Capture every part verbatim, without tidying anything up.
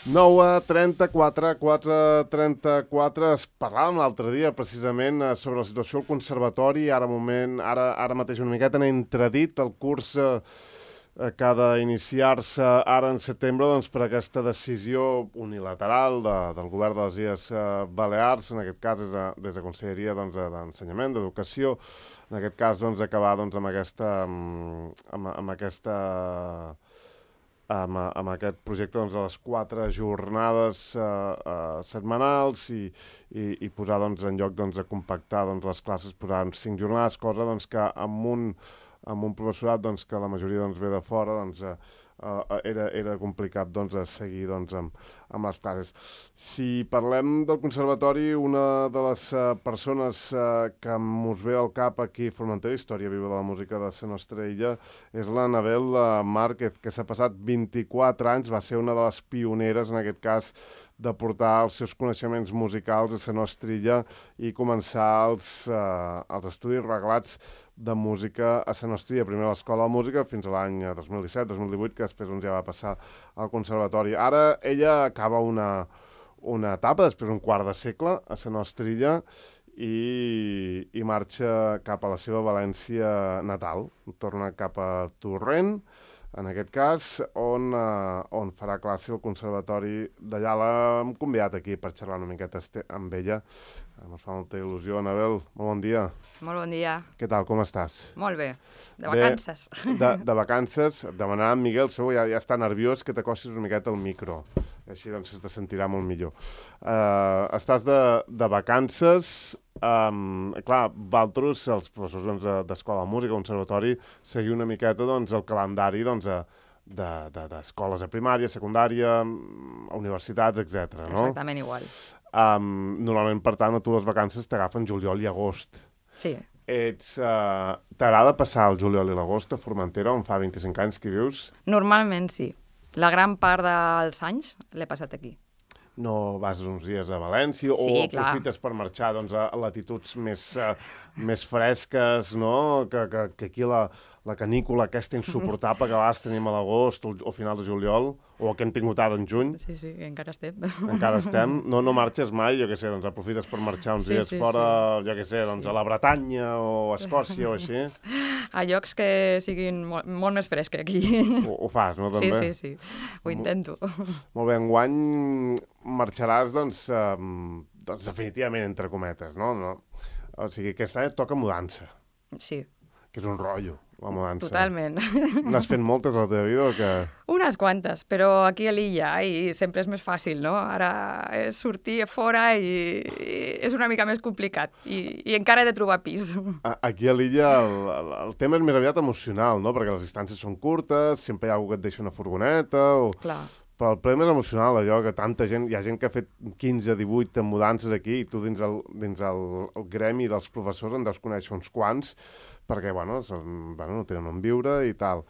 nou a trenta-quatre, quatre a trenta-quatre, es parlàvem l'altre dia precisament sobre la situació al conservatori, ara moment, ara, ara mateix una miqueta n'he entredit el curs eh, que ha d'iniciar-se ara en setembre doncs, per aquesta decisió unilateral de, del govern de les Illes eh, Balears, en aquest cas des de, des de Conselleria doncs, d'Ensenyament, d'Educació, en aquest cas doncs, acabar doncs, amb aquesta... amb, amb aquesta Amb, amb aquest projecte doncs, de les quatre jornades eh, eh, setmanals i, i, i posar doncs, en lloc doncs, de compactar doncs, les classes, posar en cinc jornades, cosa doncs, que amb un, amb un professorat doncs, que la majoria doncs, ve de fora doncs, eh, eh, era, era complicat doncs, seguir doncs, amb, amb les classes. Si parlem del conservatori, una de les uh, persones uh, que mos ve al cap aquí a Formentera, Història Viva de la Música de la nostra illa, és l'Anabel uh, Márquez, que s'ha passat vint-i-quatre anys, va ser una de les pioneres, en aquest cas, de portar els seus coneixements musicals a la nostra illa i començar els, uh, els estudis reglats de música a la nostra illa. Primer a l'Escola de Música fins a l'any dos mil disset dos mil divuit, que després doncs, ja va passar al conservatori. Ara ella acaba una, una etapa, després un quart de segle, a la nostra illa i, i marxa cap a la seva València natal. Torna cap a Torrent, en aquest cas, on, uh, on farà classe al conservatori d'allà. L'hem convidat aquí per xerrar una miqueta amb ella. Ens fa molta il·lusió. Anabel, molt bon dia. Molt bon dia. Què tal, com estàs? Molt bé. De vacances. Bé, de, de vacances. Demanarà en Miguel, segur, ja, ja està nerviós, que t'acostis una miqueta al micro. Així doncs se te sentirà molt millor. Uh, estàs de, de vacances. Um, clar, vosaltres, els professors doncs, d'Escola de Música, Conservatori, seguiu una miqueta doncs, el calendari doncs, d'escoles de, de, de primària, secundària, universitats, etcètera. No? Exactament igual. Um, normalment, per tant, a tu les vacances t'agafen juliol i agost. Sí. Ets, uh, t'agrada passar el juliol i l'agost a Formentera, on fa vint-i-cinc anys que vius? Normalment sí. La gran part dels anys l'he passat aquí. No vas uns dies a València o sí, aprofites per marxar doncs, a latituds més, uh, més fresques, no? Que, que, que aquí la, la canícula aquesta insuportable que vas tenim a l'agost o, o final de juliol, o que hem tingut ara en juny. Sí, sí, encara estem. Encara estem. No, no marxes mai, jo què sé, doncs aprofites per marxar uns sí, dies sí, fora, sí. jo què sé, doncs sí. a la Bretanya o a Escòcia o així. A llocs que siguin molt, molt més frescs que aquí. Ho, ho fas, no, també? Sí, sí, sí. Ho intento. Molt bé, enguany marxaràs, doncs, um, doncs definitivament, entre cometes, no? no? O sigui, aquest any et toca mudança. Sí. Que és un rotllo, la mudança. Totalment. N'has fet moltes a la teva vida o què? Unes quantes, però aquí a l'illa i sempre és més fàcil, no? Ara és sortir a fora i, i és una mica més complicat i, i encara he de trobar pis. Aquí a l'illa el, el, el tema és més aviat emocional, no? Perquè les distàncies són curtes, sempre hi ha algú que et deixa una furgoneta o... Clar. Però el problema és emocional, allò que tanta gent, hi ha gent que ha fet quinze, divuit mudances aquí i tu dins el, dins el, el gremi dels professors en deus conèixer uns quants perquè, bueno, són, bueno, no tenen on viure i tal.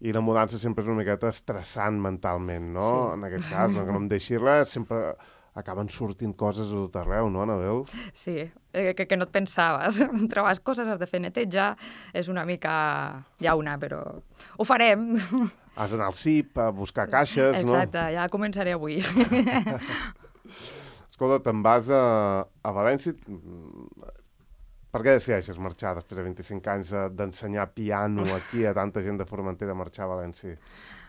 I la mudança sempre és una miqueta estressant mentalment, no? Sí. En aquest cas, no, que no em deixi res, sempre acaben sortint coses a tot arreu, no, Anabel? Sí, eh, que, que no et pensaves. Trobes coses, has de fer netejar, és una mica llauna, però ho farem. Has d'anar al C I P a buscar caixes, Exacte, no? Exacte, ja començaré avui. Escolta, te'n vas a, a València. Per què decideixes marxar després de vint-i-cinc anys d'ensenyar piano aquí a tanta gent de Formentera a marxar a València?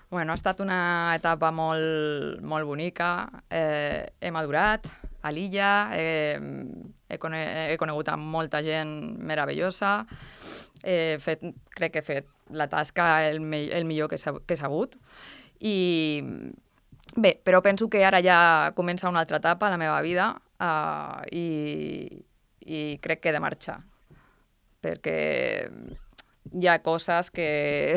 Bueno, ha estat una etapa molt, molt bonica. Eh, he madurat a l'illa, eh, he, cone he conegut amb molta gent meravellosa, he fet, crec que he fet la tasca el, me el millor que he sabut. I bé, però penso que ara ja comença una altra etapa a la meva vida uh, i, i crec que he de marxar, perquè hi ha coses que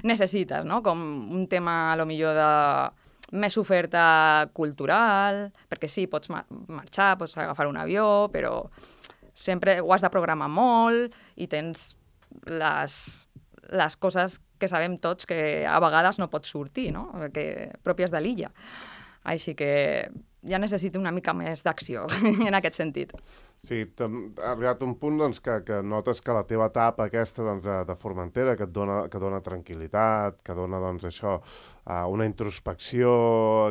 necessites, no? Com un tema, a lo millor, de més oferta cultural, perquè sí, pots ma marxar, pots agafar un avió, però sempre ho has de programar molt i tens les, les coses que sabem tots que a vegades no pots sortir, no? Que, pròpies de l'illa. Així que ja necessito una mica més d'acció en aquest sentit. Sí, ha arribat un punt doncs, que, que notes que la teva etapa aquesta doncs, de, de Formentera, que et dona, que dona tranquil·litat, que dona doncs, això, uh, una introspecció,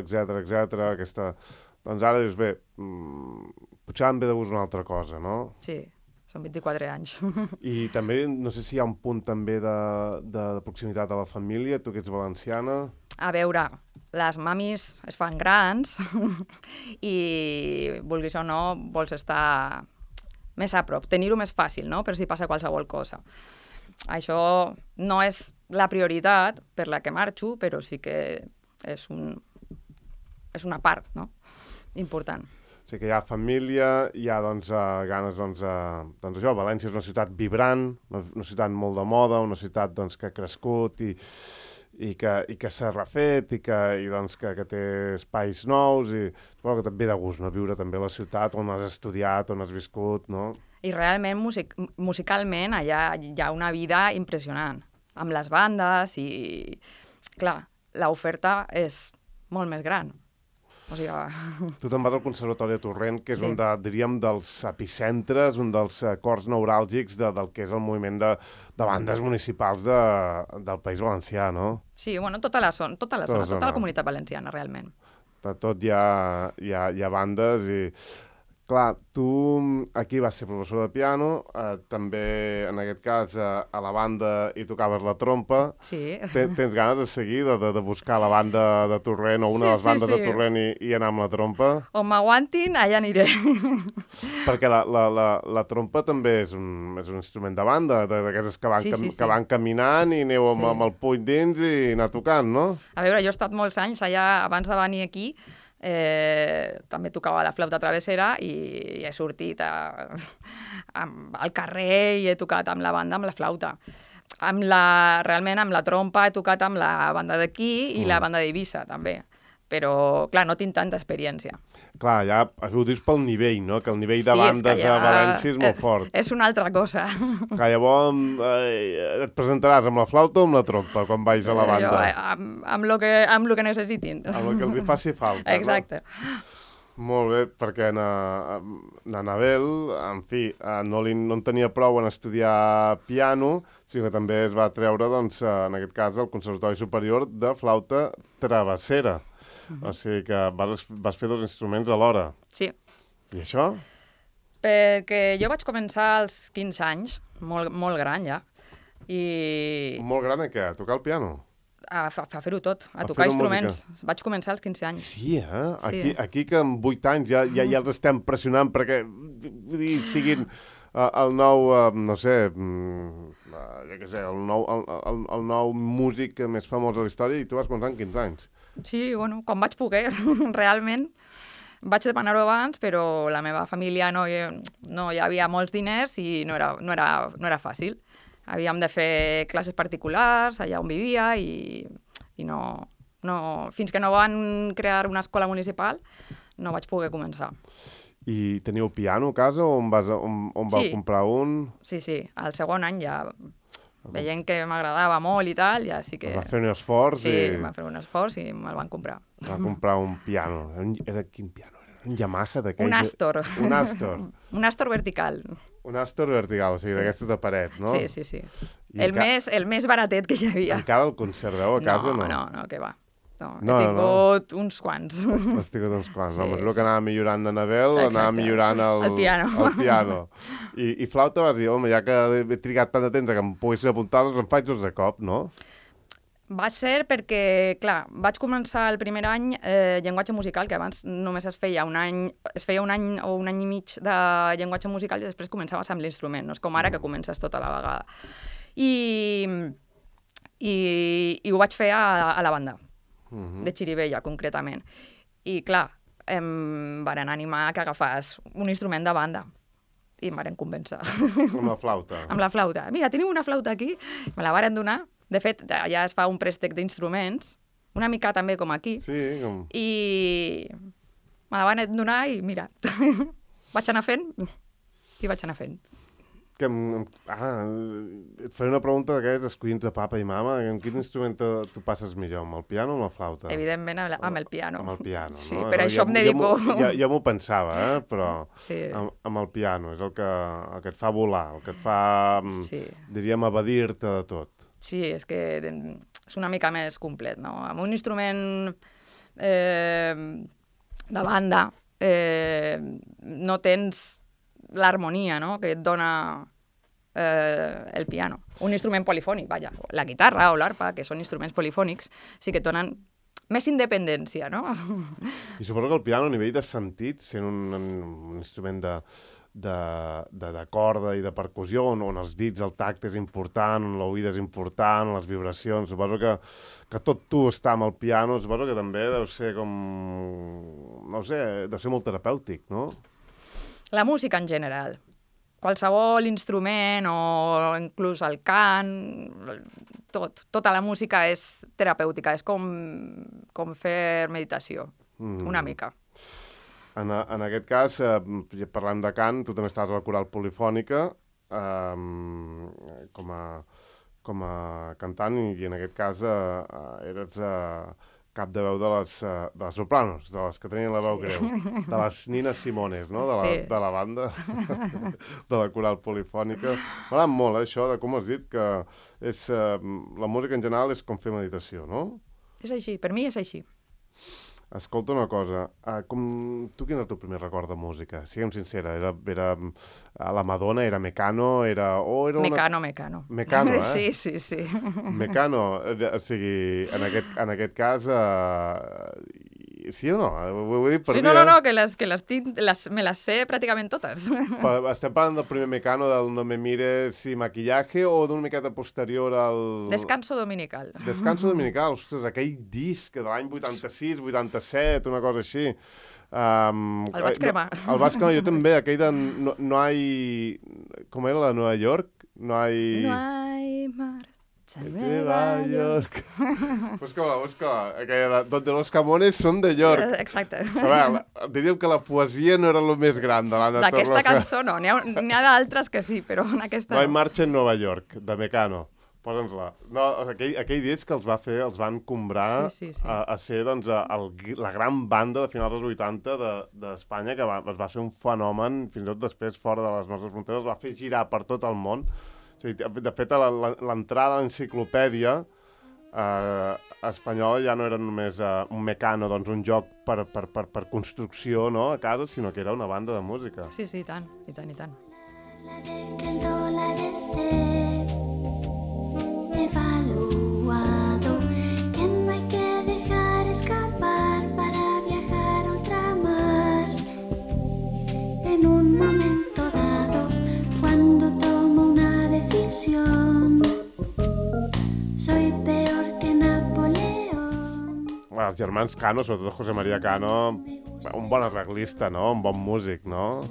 etcètera, etcètera, aquesta... Doncs ara dius, bé, mmm, potser em ve de gust una altra cosa, no? Sí, són vint-i-quatre anys. I també, no sé si hi ha un punt també de, de proximitat a la família, tu que ets valenciana... A veure, les mamis es fan grans i, vulguis o no, vols estar més a prop, tenir-ho més fàcil, no?, per si passa qualsevol cosa. Això no és la prioritat per la que marxo, però sí que és, un, és una part, no?, important. O sigui que hi ha família, hi ha doncs, uh, ganes, doncs, uh, doncs això, València és una ciutat vibrant, una, una ciutat molt de moda, una ciutat doncs, que ha crescut i, i que, i que s'ha refet i, que, i doncs, que, que té espais nous i suposo que també ve de gust, no?, viure també a la ciutat on has estudiat, on has viscut, no? I realment, music musicalment, allà hi ha una vida impressionant, amb les bandes i, clar, l'oferta és molt més gran. O sigui... Tu te'n vas al Conservatori de Torrent, que és Sí. un de, diríem, dels epicentres, un dels cors neuràlgics de, del que és el moviment de, de bandes municipals de, del País Valencià, no? Sí, bueno, tota la zona, tota la, Tota la zona, tota zona. la comunitat valenciana, realment. De tot hi ha, hi ha, hi ha bandes i... Clar, tu aquí vas ser professor de piano, eh, també, en aquest cas, eh, a la banda hi tocaves la trompa. Sí. Ten, tens ganes de seguir, de, de, de buscar la banda de Torrent o una Sí, de les sí, bandes sí. de Torrent i, i anar amb la trompa? On m'aguantin, allà aniré. Perquè la, la, la, la trompa també és un, és un instrument de banda, de- d'aquestes que, van Sí, cam- sí, sí. que van caminant i aneu amb, Sí. amb el puny dins i anar tocant, no? A veure, jo he estat molts anys allà, abans de venir aquí, eh, també tocava la flauta travessera i, i he sortit a, a, al carrer i he tocat amb la banda, amb la flauta. Amb la, realment amb la trompa he tocat amb la banda d'aquí i Mm. la banda d'Eivissa, també. Però, clar, no tinc tanta experiència. Clar, ja ho dius pel nivell, no? Que el nivell de Sí, és bandes que ja- a València és molt eh, fort. És una altra cosa. Clar, llavors eh, et presentaràs amb la flauta o amb la trompa quan vais a la banda? Jo, eh, amb, amb, lo que, amb lo que necessitin. Amb el que els hi faci falta, Exacte. no? Molt bé, perquè na, na Anabel, en fi, eh, no, li, no en tenia prou en estudiar piano, sinó que també es va treure, doncs, eh, en aquest cas, al Conservatori Superior de Flauta Travessera. O sigui que vas, vas fer dos instruments alhora. Sí. I això? Perquè jo vaig començar als quinze anys, molt, molt gran ja, i Molt gran a què? A tocar el piano? a, a, a fer-ho tot, a, A tocar fer-ho instruments. Vaig començar als quinze anys. Sí, eh? Sí. Aquí, aquí que amb vuit anys ja, ja, ja els estem pressionant perquè vull dir, siguin uh, el nou, uh, no sé, mm, uh, jo què sé, el nou, el, el, el nou músic més famós de la història i tu vas començar amb quinze anys. Sí, bueno, quan vaig poder, realment. Vaig demanar-ho abans, però la meva família no, hi- no hi havia molts diners i no era, no era, no era fàcil. Havíem de fer classes particulars allà on vivia i, i no, no, fins que no van crear una escola municipal no vaig poder començar. I teniu piano a casa o on, vas, a- on, on vau Sí. comprar un? Sí, sí, al segon any ja veient que m'agradava molt i tal, ja sí que... Va fer un esforç Sí, i va fer un esforç i me'l van comprar. va comprar un piano. Era, un, era quin piano? Era un Yamaha d'aquells? Un Astor. Un Astor. Un Astor vertical. Un Astor vertical, o sigui, Sí. d'aquestes de paret, no? Sí, sí, sí. I El enca- més, el més baratet que hi havia. Encara el conserveu a casa o no? No, no, que va. No, No, he no, no. tingut uns quants. Has tingut uns quants. Sí, Sí, a mesura sí. que anava millorant l'Anabel, Exacte. anava millorant el, El piano. El piano. I, I flauta vas dir, home, ja que he trigat tant de temps a que em poguessis apuntar, doncs em faig dos de cop, no? Va ser perquè, clar, vaig començar el primer any eh, llenguatge musical, que abans només es feia un any, es feia un any o un any i mig de llenguatge musical i després començaves amb l'instrument, no és com ara que comences tota la vegada. I, i, i ho vaig fer a, a la banda, Mhm. de Xirivella, concretament. I, clar, em varen animar que agafàs un instrument de banda i em varen convèncer. Amb la flauta. Amb la flauta. Mira, tenim una flauta aquí. Me la varen donar. De fet, allà es fa un préstec d'instruments, una mica també com aquí, Sí, com... i me la van donar i mira, vaig anar fent i vaig anar fent. que... Ah, et faré una pregunta d'aquelles escollint de papa i mama. En quin instrument tu passes millor, amb el piano o amb la flauta? Evidentment amb el piano. Amb el piano, sí, no? Sí, per això ja, em dedico... Ja, ja m'ho pensava, eh? Però sí. amb, amb el piano és el que, el que et fa volar, el que et fa, sí. diríem, evadir-te de tot. Sí, és que és una mica més complet, no? Amb un instrument eh, de banda eh, no tens l'harmonia, no?, que et dona eh, el piano. Un instrument polifònic, vaja, la guitarra o l'arpa, que són instruments polifònics, sí que et donen més independència, no? I suposo que el piano, a nivell de sentit, sent un, un instrument de, de, de, de corda i de percussió, on, on els dits, el tacte és important, on l'oïda és important, les vibracions, suposo que, que tot tu està amb el piano, suposo que també deu ser com... no sé, deu ser molt terapèutic, no? La música en general. Qualsevol instrument o inclús el cant, tot, tota la música és terapèutica, és com, com fer meditació, mm. una mica. En, en aquest cas, eh, parlant de cant, tu també estàs a la coral polifònica eh, com, a, com a cantant i en aquest cas eh, eres eh, cap de veu de les, de les sopranos, de les que tenien la veu sí. greu, de les Nina Simones, no? De la, sí. de la banda, de la coral polifònica. M'agrada molt, eh, això, de com has dit, que és, eh, la música en general és com fer meditació, no? És així, per mi és així. Escolta una cosa, uh, com, tu quin era el teu primer record de música? Siguem sincera, era, era la Madonna, era Mecano, era... Oh, era una... Mecano, Mecano. Mecano, eh? Sí, sí, sí. Mecano, o sigui, en aquest, en aquest cas, uh, sí o no? Ho, ho he dit per sí, dir, no, no, no, eh? que, les, que les tinc, les, me les sé pràcticament totes. Però estem parlant del primer Mecano, del No me mires i maquillaje, o d'una miqueta posterior al... Descanso dominical. Descanso dominical, ostres, aquell disc de l'any vuitanta-sis, vuitanta-set, una cosa així. Um, el vaig cremar. No, el vaig cremar jo també, aquell de no, no hay... Com era la de Nova York? No hay... No hay mar... Nueva York. Busca-la, busca-la. Aquella de Donde los Camones son de York. Exacte. A veure, diríem que la poesia no era el més gran de l'Anna Torroja. D'aquesta cançó no, n'hi ha, ha d'altres que sí, però en aquesta no. No no. hay marcha en Nova York, de Mecano. Posa'ns-la. No, aquell, aquell disc que els va fer, els van comprar sí, sí, sí. A, a ser doncs, a, a, la gran banda de finals dels vuitanta d'Espanya, de, que va, es va fer un fenomen, fins i tot després fora de les nostres fronteres, es va fer girar per tot el món. O sigui, de fet, l'entrada a l'enciclopèdia eh, espanyola ja no era només eh, un Mecano, doncs un joc per, per, per, per construcció, no?, a casa, sinó que era una banda de música. Sí, sí, i tant, i tant, i tant. Que el dólar esté devaluado, que no hay que dejar escapar para viajar a ultramar. En un momento dado, cuando tomo una decisión, soy peor que Napoleón. Bueno, els germans Cano, sobretot José María Cano, un bon arreglista, no?, un bon músic, no?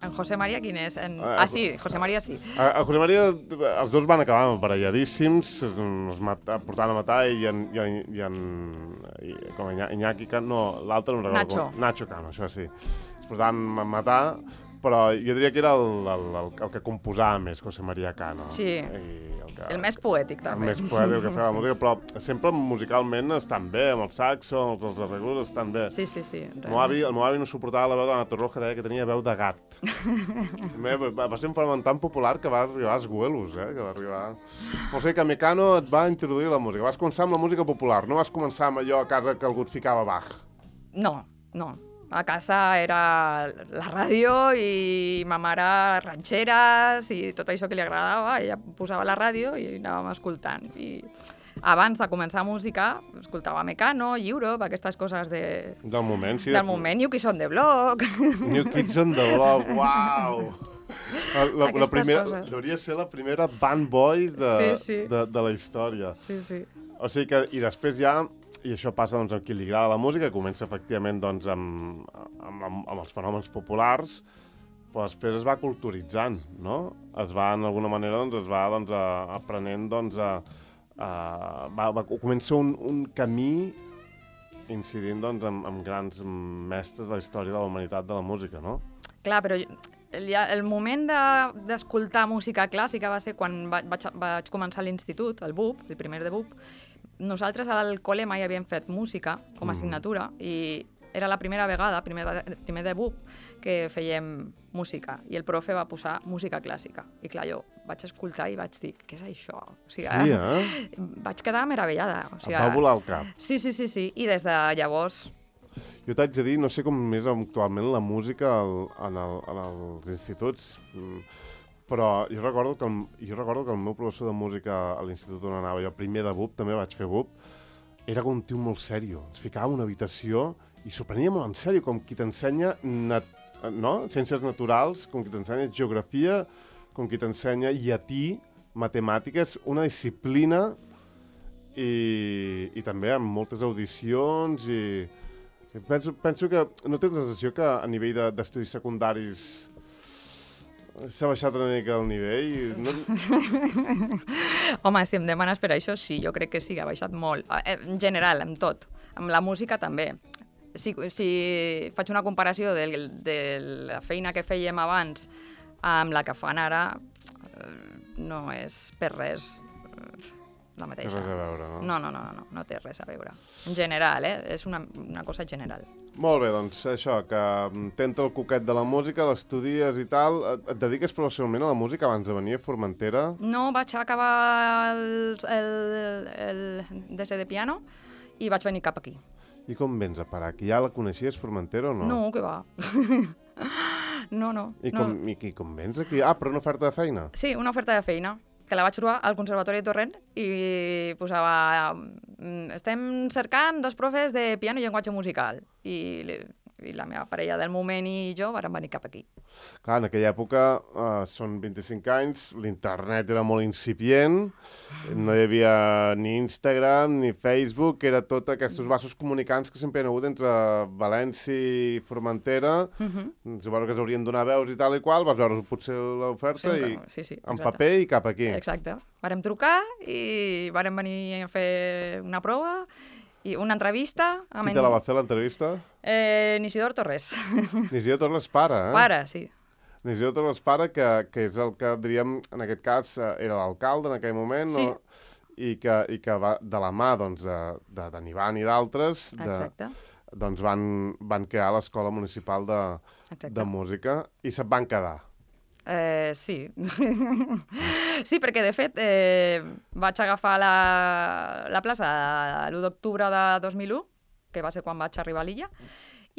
En José María quin és? En... Ah, sí, José María sí. A, a José María, els dos van acabar emparelladíssims, es mata, portant a matar, i en, i en, i en i, com Iñaki Cano, no, l'altre no recordo. Nacho. Com, Nacho Cano, això sí. Es portant a matar, però jo diria que era el, el, el, el que composava més, José María Cano. Sí, I el, que, el més poètic, també. El més poètic, el que feia la música, però sempre musicalment estan bé, amb el saxo, els, els arreglos estan bé. Sí, sí, sí. El meu avi, el meu avi no suportava la veu de l'Anna Torroja, deia que tenia veu de gat. va, va ser un fenomen tan popular que va arribar als Güelos, eh? Que va arribar... O sigui que Mecano et va introduir la música. Vas començar amb la música popular, no vas començar amb allò a casa que algú et ficava Bach. No, no. A casa era la ràdio i ma mare ranxeres i tot això que li agradava, ella posava la ràdio i anàvem escoltant. I abans de començar música, escoltava Mecano, Europe, aquestes coses de... Del moment, sí. Del de... moment, New Kids on the Block. New Kids on the Block, uau! La, la, la primera, coses. Hauria ser la primera band boys de, sí, sí. de, de la història. Sí, sí. O sigui que, i després ja... I això passa doncs, amb qui li agrada la música, comença efectivament doncs, amb, amb, amb, amb els fenòmens populars, però després es va culturitzant, no? Es va, en alguna manera, doncs, es va doncs, a, aprenent, doncs, a, a, va, va, comença un, un camí incidint doncs, amb, amb grans mestres de la història de la humanitat de la música, no? Clar, però jo- el, el moment de- d'escoltar música clàssica va ser quan va, vaig, vaig començar a l'institut, el B U P, el primer de B U P. Nosaltres al col·le mai havíem fet música com a assignatura i era la primera vegada, primer, de- primer de B U P, que fèiem música i el profe va posar música clàssica. I clar, jo vaig escoltar i vaig dir, què és això? O sigui, Sí, eh? Vaig quedar meravellada. O sigui, Et va volar el cap. Sí, sí, sí, sí. I des de llavors... Jo t'haig de dir, no sé com és actualment la música al, en, el, en els instituts, mm, però jo recordo, que el, jo recordo que el meu professor de música a l'institut on anava jo, primer de B U P, també vaig fer B U P, era com un tio molt sèrio. Ens ficava en una habitació i s'ho prenia molt en sèrio, com qui t'ensenya nat no? ciències naturals, com qui t'ensenya geografia, com qui t'ensenya llatí, matemàtiques, una disciplina i, i també amb moltes audicions i... i penso, penso que no tens la sensació que a nivell de- d'estudis secundaris s'ha baixat una mica el nivell? i No... Home, si em demanes per això, sí, jo crec que sí, ha baixat molt. Eh, En general, amb tot. Amb la música també. Si, si faig una comparació de, de la feina que fèiem abans amb la que fan ara, eh, no és per res eh, la Té mateixa. res a veure, no? No, no, no, no, no té res a veure. En general, eh? És una, una cosa general. Molt bé, doncs això, que t'entra el coquet de la música, l'estudies i tal. Et, et dediques professionalment a la música abans de venir a Formentera? No, vaig acabar el, el, el D C de piano i vaig venir cap aquí. I com vens a parar? Que ja la coneixies, Formentera, o no? No, que va. no, no. I no. com, i, i com vens aquí? Ah, però una oferta de feina? Sí, una oferta de feina, que la vaig trobar al Conservatori de Torrent i posava... mm, Estem cercant dos profes de piano i llenguatge musical. I, li- i la meva parella del moment i jo vàrem venir cap aquí. Clar, en aquella època, uh, són vint-i-cinc anys, l'internet era molt incipient, no hi havia ni Instagram ni Facebook, era tot aquests vasos comunicants que sempre hi ha hagut entre València i Formentera. Uh -huh. Suposo que s'haurien donar veus i tal i qual, vas veure potser l'oferta i sí, sí, en exacte. paper i cap aquí. Exacte. Vàrem trucar i vàrem venir a fer una prova i una entrevista. Qui te la va fer, l'entrevista? Eh, Isidor Torres. Isidor Torres pare, eh? Pare, sí. Isidor Torres pare, que, que és el que, diríem, en aquest cas, eh, era l'alcalde en aquell moment, Sí. no? I que, i que va de la mà, doncs, de, de, de Ivan i d'altres, de, Exacte. doncs van, van crear l'Escola Municipal de, Exacte. de Música i se'n van quedar. Eh, sí. sí, perquè de fet eh, vaig agafar la, la plaça l'u d'octubre de dos mil u, que va ser quan vaig arribar a l'illa,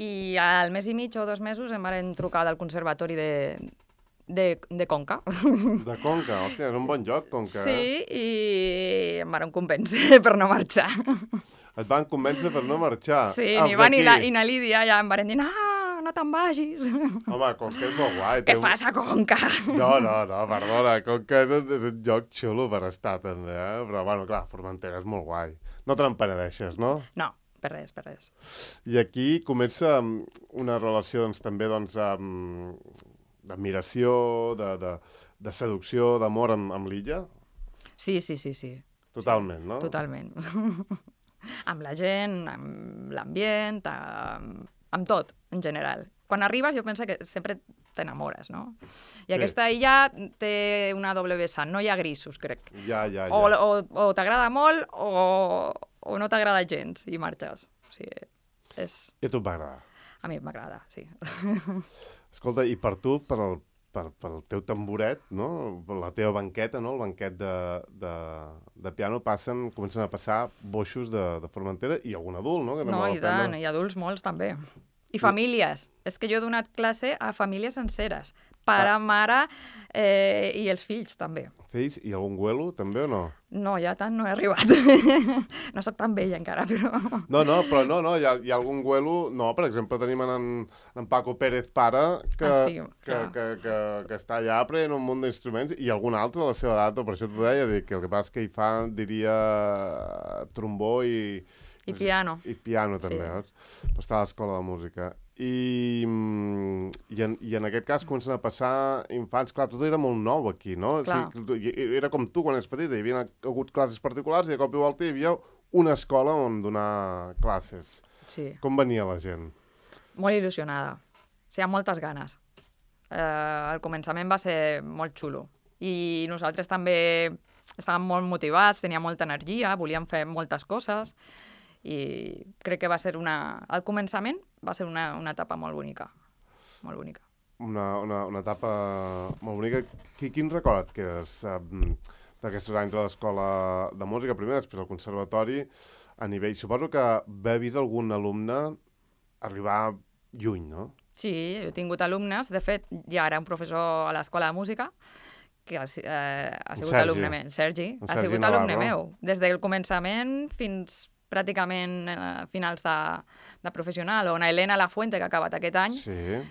i al mes i mig o dos mesos em van trucar del Conservatori de, de, de Conca. De Conca, hòstia, és un bon lloc, Conca. Eh? Sí, i em van convèncer per no marxar. Et van convèncer per no marxar. Sí, Els ni van i, la, d'aquí. i na Lídia ja em van dir, no, no te'n vagis. Home, Conca és molt guai. Què té un- fas a Conca? No, no, no, perdona, Conca és un, és un lloc xulo per estar, també, eh? Però, bueno, clar, Formentera és molt guai. No te n'empenedeixes, no? No, per res, per res. I aquí comença mm, una relació, doncs, també, doncs, amb- d'admiració, de, de, de seducció, d'amor amb, amb l'illa? Sí, sí, sí, sí. Totalment, no? Totalment. amb la gent, amb l'ambient, amb, amb tot, en general. Quan arribes jo penso que sempre t'enamores, no? I Sí. aquesta illa té una doble vessant, no hi ha grisos, crec. Ja, ja, ja. O, o, o t'agrada molt o, o no t'agrada gens i marxes. O sigui, és... I a tu et va agradar. A mi m'agrada, sí. Escolta, i per tu, per el, per, pel teu tamboret, no? Per la teva banqueta, no? El banquet de, de, de piano, passen, comencen a passar boixos de, de Formentera i algun adult, no? Que també No, vol i tant, prendre. i adults molts també. I famílies. És que jo he donat classe a famílies senceres. Pare, Ah. mare eh, i els fills també. Fills i algun güelo, també, o no? No, ja tant no he arribat. no sóc tan vella encara, però... No, no, però no, no, hi ha, hi ha algun güelo... No, per exemple, tenim en, en Paco Pérez pare, que, Ah, sí, que, clar. que, que, que està allà aprenent un munt d'instruments, i algun altre de la seva edat, per això t'ho deia, dic, que el que passa és que hi fa, diria, trombó i... I piano. I piano, també, Sí. sí. Però està a l'escola de música. I, mm, i, en, I en aquest cas comencen a passar infants... Clar, tot era molt nou aquí, no? Clar. O sigui, tu- era com tu quan eres petita, hi havia hagut classes particulars i de cop i volta hi havia una escola on donar classes. Sí, Com venia la gent? molt il·lusionada. O sigui, amb moltes ganes. Eh, al començament va ser molt xulo. I nosaltres també estàvem molt motivats, teníem molta energia, volíem fer moltes coses i crec que va ser una... Al començament va ser una, una etapa molt bonica. Molt bonica. Una, una, una etapa molt bonica. Qui, quin record que és um, d'aquests anys a l'escola de música, primer, després al conservatori, a nivell... Suposo que haver vist algun alumne arribar lluny, no? Sí, jo he tingut alumnes. De fet, ja era un professor a l'escola de música que ha, eh, ha sigut Sergi. alumne meu. Sergi, En ha Sergi sigut Navarro. alumne meu. Des del començament fins pràcticament eh, finals de, de professional. O una Helena Lafuente, que ha acabat aquest any, Sí.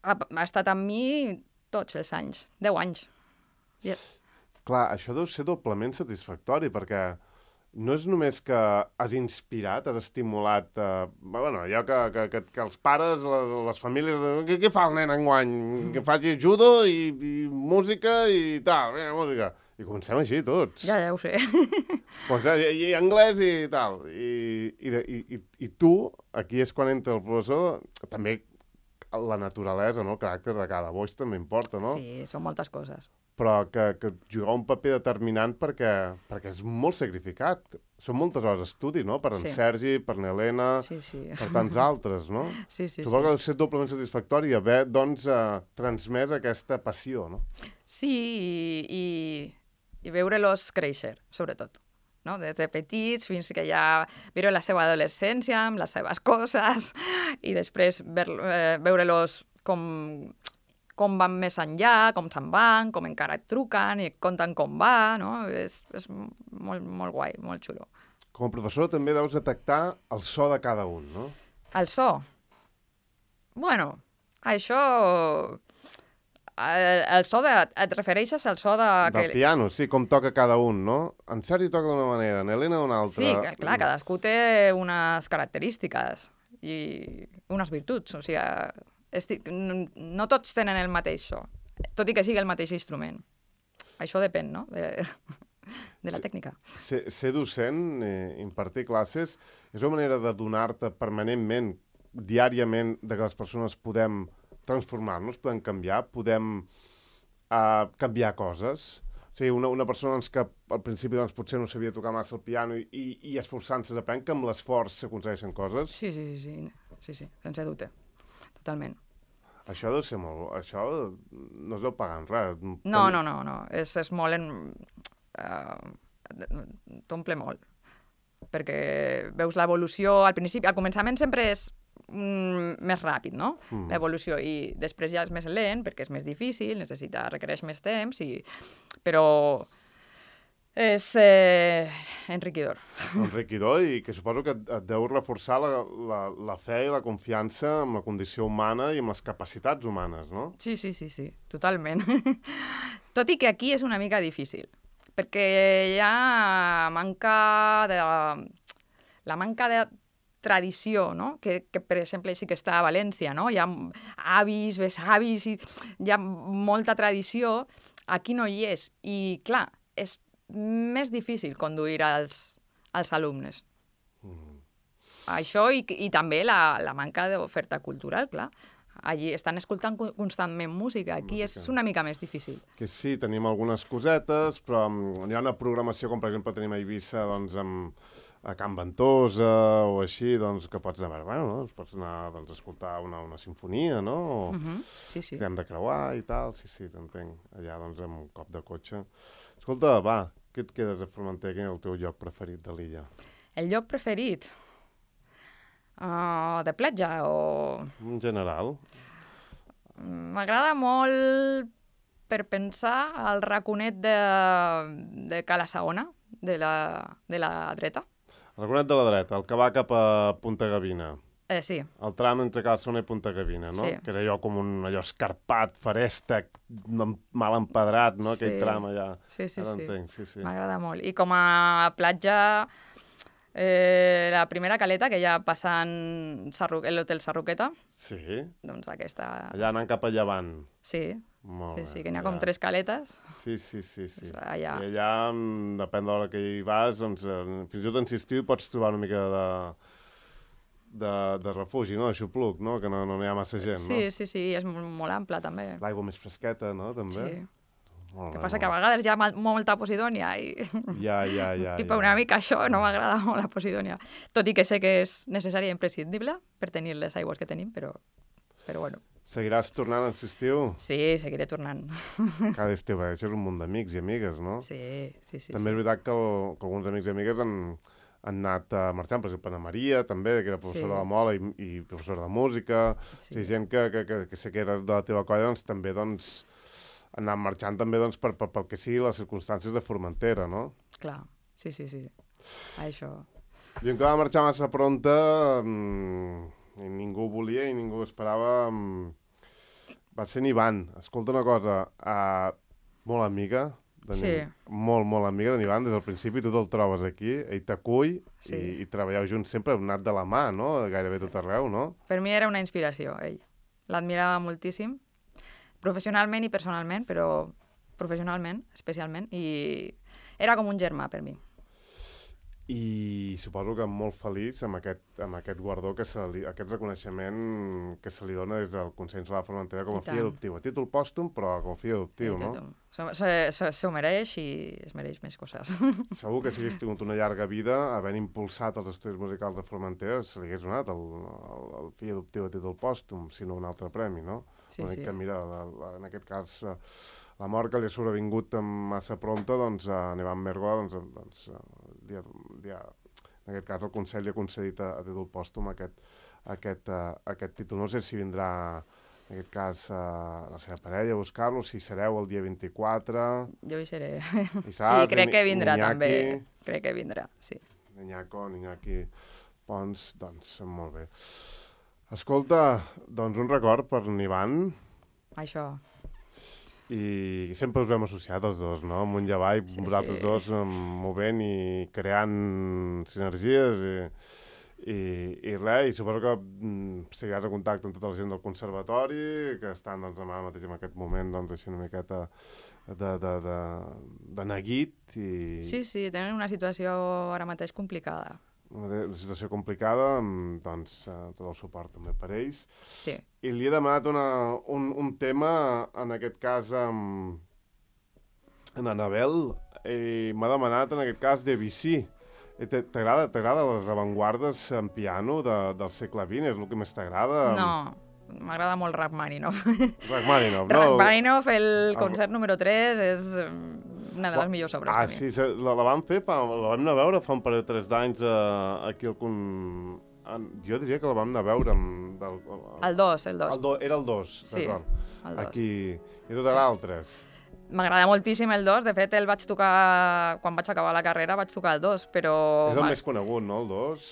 ha, ha estat amb mi tots els anys, deu anys. Yeah. Clar, això deu ser doblement satisfactori, perquè no és només que has inspirat, has estimulat... Eh, bueno, allò que, que, que, que els pares, les, les famílies... Què, què fa el nen enguany? Que faci judo i, i música i tal, vinga, música. I comencem així, tots. Ja, ja ho sé. Comencem, i, i anglès i tal. I, i, i, i, I tu, aquí és quan entra el professor, també la naturalesa, no? El caràcter de cada boix també importa, no? Sí, són moltes coses. Però que, que jugar un paper determinant perquè, perquè és molt sacrificat. Són moltes hores d'estudi, no? Per en Sí. Sergi, per n'Helena, Sí, sí. per tants altres, no? Sí, sí, Suposo que sí. deu ser doblement satisfactori haver, doncs, eh, transmès aquesta passió, no? Sí, i, i, i veure-los créixer, sobretot. No? Des de petits fins que ja veure la seva adolescència amb les seves coses i després ver, eh, veure-los com, com van més enllà, com se'n van, com encara et truquen i et conten com va, no? És, és molt, molt guai, molt xulo. Com a professora també deus detectar el so de cada un, no? El so? Bueno, això... El, el so de... Et refereixes al so de... Del piano, sí, com toca cada un, no? En Sergi toca d'una manera, en Helena d'una altra. Sí, que, clar, cadascú té unes característiques i unes virtuts, o sigui, estic, no tots tenen el mateix so, tot i que sigui el mateix instrument. Això depèn, no?, de, de la Sí. tècnica. Ser, ser docent, eh, impartir classes, és una manera de donar-te permanentment, diàriament, de que les persones podem transformar-nos, podem canviar, podem uh, canviar coses. O sigui, una, una persona doncs, que al principi doncs, potser no sabia tocar massa el piano i, i, i esforçant-se s'aprèn que amb l'esforç s'aconsegueixen coses. Sí, sí, sí, sí, sí, sí, sense dubte, totalment. Això deu ser molt... Això no es deu pagar en res. No, no, no, no, és, és molt... En, uh, t'omple molt, perquè veus l'evolució, al principi, al començament sempre és mm, més ràpid, no?, Mm. l'evolució, i després ja és més lent, perquè és més difícil, necessita, requereix més temps, i... però és eh, enriquidor. Enriquidor i que suposo que et, et deu reforçar la, la, la fe i la confiança en la condició humana i en les capacitats humanes, no? Sí, sí, sí, sí, totalment. Tot i que aquí és una mica difícil, perquè hi ha manca de... La manca de tradició, no?, que, que per exemple sí que està a València, no?, hi ha avis, besavis, i hi ha molta tradició, aquí no hi és, i clar, és més difícil conduir els, els alumnes. Mm. Això i, i també la, la manca d'oferta cultural, clar. Allí estan escoltant co- constantment música, aquí Música. és una mica més difícil. Que sí, tenim algunes cosetes, però um, hi ha una programació, com per exemple tenim a Eivissa, doncs, amb, a Can Ventosa o així, doncs, que pots anar, bueno, no? Pots anar doncs, a escoltar una, una sinfonia, no? O Uh -huh. Sí, sí. que hem de creuar i tal, sí, sí, t'entenc. Allà, doncs, amb un cop de cotxe. Escolta, va, què et quedes a Formentera? Quin és el teu lloc preferit de l'illa? El lloc preferit? Uh, de platja o... En general. M'agrada molt, per pensar, el raconet de, de Cala Saona, de la, de la dreta. El raconet de la dreta, el que va cap a Punta Gavina. Eh, sí, El tram entre Cala Saona i Punta Gavina, no? Sí. Que és allò com un allò escarpat, farèstec, em- mal empedrat, no? Aquell Sí. tram allà. sí, sí, Ara sí. entenc, sí, sí. M'agrada molt. I com a platja, eh, la primera caleta, que hi ha passant Sarru... l'hotel Sarroqueta, Sí, doncs aquesta... allà anant cap a llevant. Sí, Molt sí, bé, sí, que n'hi ha com allà. tres caletes. Sí, sí, sí, sí. Doncs allà. I allà, mm, depèn de l'hora que hi vas, doncs, eh, fins i tot en estiu hi pots trobar una mica de, de, de refugi, no? De xupluc, no? Que no, no hi ha massa gent, sí, no? Sí, sí, sí, és molt, molt ample, també. L'aigua més fresqueta, no? També. Sí. Molt El que bé, passa que a molt vegades hi ha molta posidònia i Ja, ja, ja. tipo ja. una mica això, no m'agrada molt la posidònia. Tot i que sé que és necessària i imprescindible per tenir les aigües que tenim, però, però bueno. Seguiràs tornant aquest estiu? Sí, seguiré tornant. Cada estiu, perquè això és un munt d'amics i amigues, no? Sí, sí, sí. També sí. és veritat que, el, que alguns amics i amigues han, han anat uh, marxant, per exemple, Ana Maria, també, que era professora Sí. de la Mola i, i professora de música. Sí. Sí, gent que, que, que, que sé que era de la teva colla, doncs també doncs, han anat marxant també doncs, per, per, pel que sigui les circumstàncies de Formentera, no? Clar, sí, sí, sí. Això... I en que va marxar massa pronta, mmm, i ningú ho volia i ningú ho esperava, mmm, va ser en Ivan. Escolta una cosa, uh, molt amiga, de Sí. molt, molt amiga d'en Ivan, des del principi tu te'l trobes aquí, ell t'acull Sí. i, i treballeu junts sempre, heu anat de la mà, no? Gairebé Sí. tot arreu, no? Per mi era una inspiració, ell. L'admirava moltíssim, professionalment i personalment, però professionalment, especialment, i era com un germà per mi. I suposo que molt feliç amb aquest, amb aquest guardó, que se li, aquest reconeixement que se li dona des del Consell Insular de Formentera com a I tant. fill adoptiu. A títol pòstum, però com a fill adoptiu, I no? tothom. Se, se, se, se ho mereix i es mereix més coses. Segur que si hagués tingut una llarga vida, havent impulsat els estudis musicals de Formentera, se li hagués donat el, el, el fill adoptiu a títol pòstum, sinó un altre premi, no? Sí, L'únic sí. que, mira, la, la, en aquest cas, eh, la mort que li ha sobrevingut massa prompte, doncs, a Ivan Mergola, doncs, doncs eh, li ha, li ha, en aquest cas el Consell li ha concedit a, a títol pòstum aquest, aquest, uh, aquest títol. No sé si vindrà, en aquest cas, uh, la seva parella a buscar-lo, si sereu el dia vint-i-quatre... Jo hi seré. I saps, I crec que vindrà Iñaki, també. Crec que vindrà, sí. Iñaco, Iñaki Pons, doncs molt bé. Escolta, doncs un record per en Ivan, Això. i sempre us hem associat els dos, no? Amunt i avall, Sí, vosaltres sí. dos um, movent i creant sinergies i, i, i res, i suposo que mm, seguiràs en contacte amb tota la gent del conservatori, que estan doncs, ara mateix en aquest moment doncs, així una miqueta de, de, de, de neguit i Sí, sí, tenen una situació ara mateix complicada. una, una situació complicada, mm, doncs eh, tot el suport també per ells. Sí. I li he demanat una, un, un tema, en aquest cas, amb en Anabel, i m'ha demanat, en aquest cas, Debussy. I te- T'agrada t'agrada les avantguardes en piano de, del segle vint? És el que més t'agrada? No, m'agrada molt Rachmaninoff. Rachmaninoff, no? Rachmaninoff, el El- concert número tres, és mm, una de les millors obres Ah, per mi. sí, se- la, la vam fer, fa, la vam anar a veure fa un parell o tres d'anys eh, aquí al... Con... en- Jo diria que la vam anar a veure amb... Del, El dos, el dos. el do, era el dos, Sí, d'acord. el dos. Aquí... I tu t'agrada el tres? M'agrada moltíssim el dos, de fet el vaig tocar, quan vaig acabar la carrera vaig tocar el dos, però... És el ma- més conegut, no, el dos?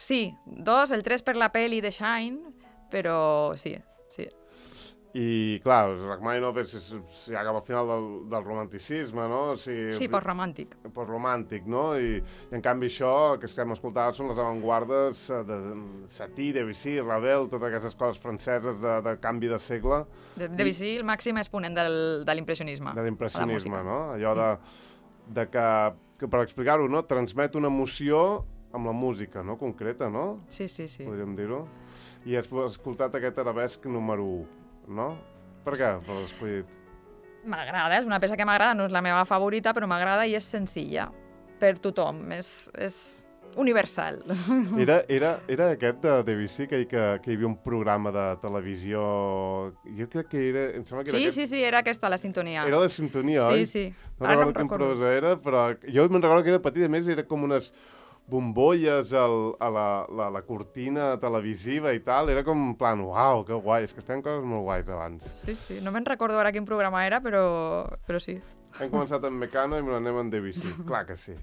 Sí, dos, el tres per la peli de Shine, però sí, sí. I, clar, Rachmaninoff és, és, és ja cap al final del, del romanticisme, no? O sigui, Sí, postromàntic. postromàntic, no? I, I en canvi això, que estem escoltant, són les avantguardes eh, de Satie, Debussy, Ravel, totes aquestes coses franceses de, de canvi de segle, De, Debussy, el màxim exponent del, de l'impressionisme. de l'impressionisme, a la música. no? Allò de, de que, que per explicar-ho, no? Transmet una emoció amb la música, no? Concreta, no? Sí, sí, sí. Podríem dir-ho. I has escoltat aquest arabesc número u, no? Per què l'has escollit? M'agrada, és una peça que m'agrada, no és la meva favorita, però m'agrada i és senzilla per tothom, és, és universal. Era, era, era aquest de Debussy, que, que, que hi havia un programa de televisió... Jo crec que era... Em sembla que era Sí, aquest... sí, sí, era aquesta la sintonia. Era la sintonia, Sí, oi? sí. No Ara no recordo em quin recordo. prosa era, però jo me'n recordo que era petit, a més era com unes bombolles al, a la, la, la cortina televisiva i tal, era com en plan, uau, que guai, és que feien coses molt guais abans. Sí, sí, no me'n recordo ara quin programa era, però, però sí. Hem començat amb Mecano i me n'anem amb Debussy, clar que sí.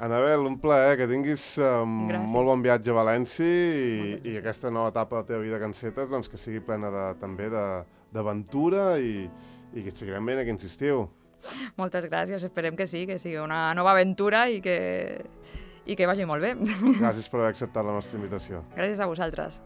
Anabel, un plaer, que tinguis um, Gràcies. molt bon viatge a València i, Moltes i gràcies. aquesta nova etapa de la teva vida que encetes, doncs que sigui plena de, també de- d'aventura i, i que seguirem ben aquí, insistiu. Moltes gràcies, esperem que sí, que sigui una nova aventura i que, i que vagi molt bé. Gràcies per haver acceptat la nostra invitació. Gràcies a vosaltres.